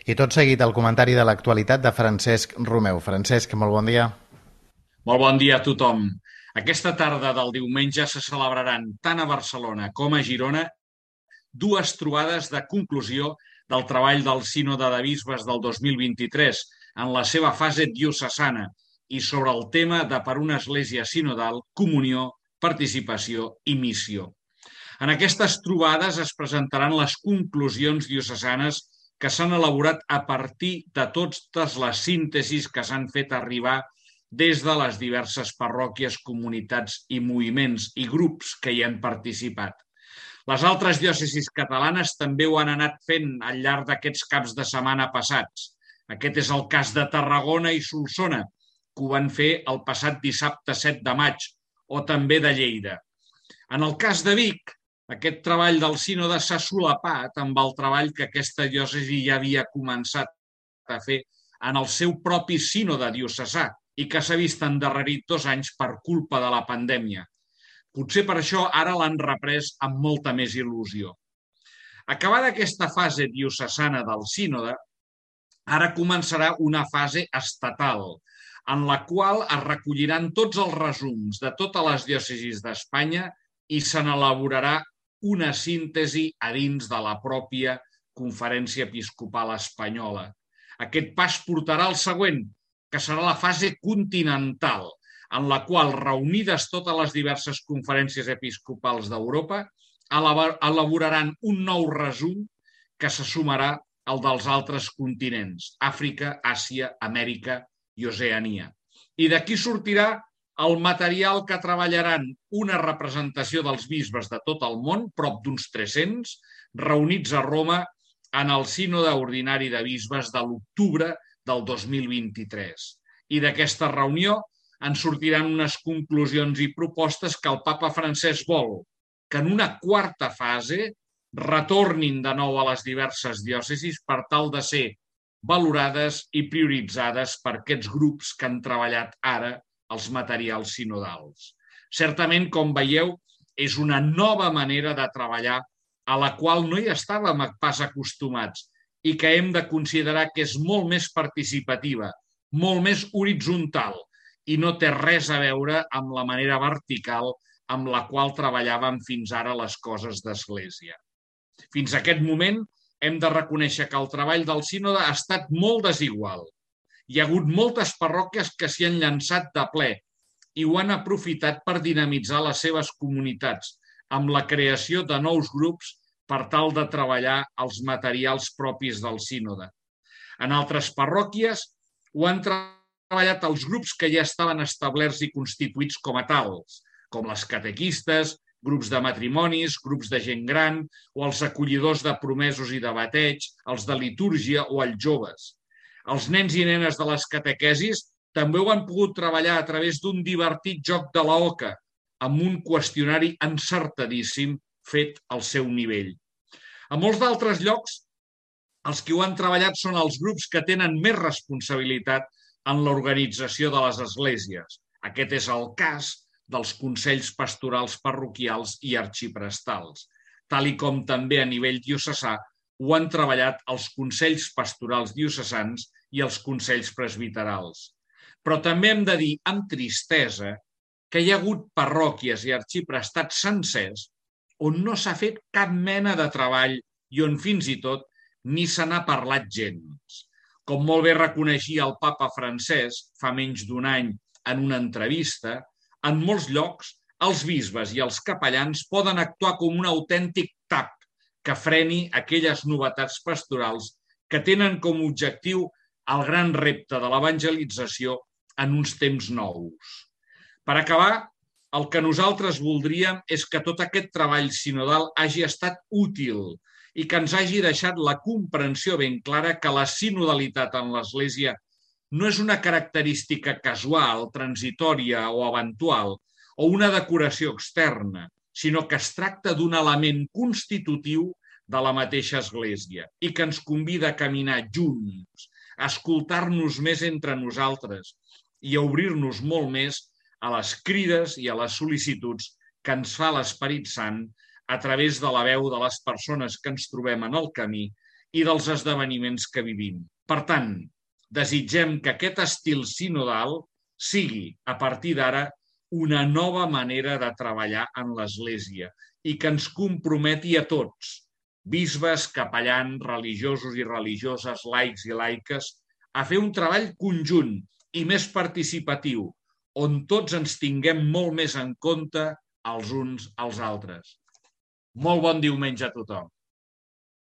I tot seguit el comentari de l'actualitat de Francesc Romeu. Francesc, molt bon dia. Molt bon dia a tothom. Aquesta tarda del diumenge se celebraran tant a Barcelona com a Girona dues trobades de conclusió del treball del Sínode de Bisbes del 2023 en la seva fase diocesana i sobre el tema de per una església sinodal, comunió, participació i missió. En aquestes trobades es presentaran les conclusions diocesanes que s'han elaborat a partir de totes les síntesis que s'han fet arribar des de les diverses parròquies, comunitats i moviments i grups que hi han participat. Les altres diòcesis catalanes també ho han anat fent al llarg d'aquests caps de setmana passats. Aquest és el cas de Tarragona i Solsona, que ho van fer el passat dissabte 7 de maig, o també de Lleida. En el cas de Vic, aquest treball del sínode s'ha solapat amb el treball que aquesta diòcesi ja havia començat a fer en el seu propi sínode diocesà i que s'ha vist endarrerit 2 anys per culpa de la pandèmia. Potser per això ara l'han reprès amb molta més il·lusió. Acabada aquesta fase diocesana del sínode, ara començarà una fase estatal, en la qual es recolliran tots els resums de totes les diòcesis d'Espanya i se n'elaborarà una síntesi a dins de la pròpia Conferència Episcopal Espanyola. Aquest pas portarà al següent, que serà la fase continental, en la qual, reunides totes les diverses conferències episcopals d'Europa, elaboraran un nou resum que se sumarà al dels altres continents, Àfrica, Àsia, Amèrica i Oceania. I d'aquí sortirà el material que treballaran una representació dels bisbes de tot el món, prop d'uns 300, reunits a Roma en el sínode ordinari de bisbes de l'octubre del 2023. I d'aquesta reunió en sortiran unes conclusions i propostes que el papa Francesc vol, que en una quarta fase retornin de nou a les diverses diòcesis per tal de ser valorades i prioritzades per aquests grups que han treballat ara els materials sinodals. Certament, com veieu, és una nova manera de treballar a la qual no hi estàvem pas acostumats i que hem de considerar que és molt més participativa, molt més horitzontal i no té res a veure amb la manera vertical amb la qual treballàvem fins ara les coses d'Església. Fins a aquest moment hem de reconèixer que el treball del sínode ha estat molt desigual. Hi ha hagut moltes parròquies que s'hi han llançat de ple i ho han aprofitat per dinamitzar les seves comunitats amb la creació de nous grups per tal de treballar els materials propis del sínode. En altres parròquies ho han treballat els grups que ja estaven establerts i constituïts com a tals, com les catequistes, grups de matrimonis, grups de gent gran o els acollidors de promesos i de bateig, els de litúrgia o els joves. Els nens i nenes de les catequesis també ho han pogut treballar a través d'un divertit joc de l'oca, amb un qüestionari encertadíssim fet al seu nivell. A molts d'altres llocs, els que ho han treballat són els grups que tenen més responsabilitat en l'organització de les esglésies. Aquest és el cas dels consells pastorals parroquials i arxiprestals, tal i com també a nivell diocesà ho han treballat els consells pastorals diocesans i els consells presbiterals. Però també hem de dir amb tristesa que hi ha hagut parròquies i arxiprestats sencers on no s'ha fet cap mena de treball i on fins i tot ni se n'ha parlat gens. Com molt bé reconeixia el papa Francesc fa menys d'un any en una entrevista, en molts llocs els bisbes i els capellans poden actuar com un autèntic tap que freni aquelles novetats pastorals que tenen com a objectiu el gran repte de l'evangelització en uns temps nous. Per acabar, el que nosaltres voldríem és que tot aquest treball sinodal hagi estat útil i que ens hagi deixat la comprensió ben clara que la sinodalitat en l'Església no és una característica casual, transitòria o eventual, o una decoració externa, sinó que es tracta d'un element constitutiu de la mateixa Església i que ens convida a caminar junts, a escoltar-nos més entre nosaltres i a obrir-nos molt més a les crides i a les sol·licituds que ens fa l'Esperit Sant a través de la veu de les persones que ens trobem en el camí i dels esdeveniments que vivim. Per tant, desitgem que aquest estil sinodal sigui, a partir d'ara, una nova manera de treballar en l'Església i que ens comprometi a tots, bisbes, capellans, religiosos i religioses, laics i laiques, a fer un treball conjunt i més participatiu, on tots ens tinguem molt més en compte els uns als altres. Molt bon diumenge a tothom.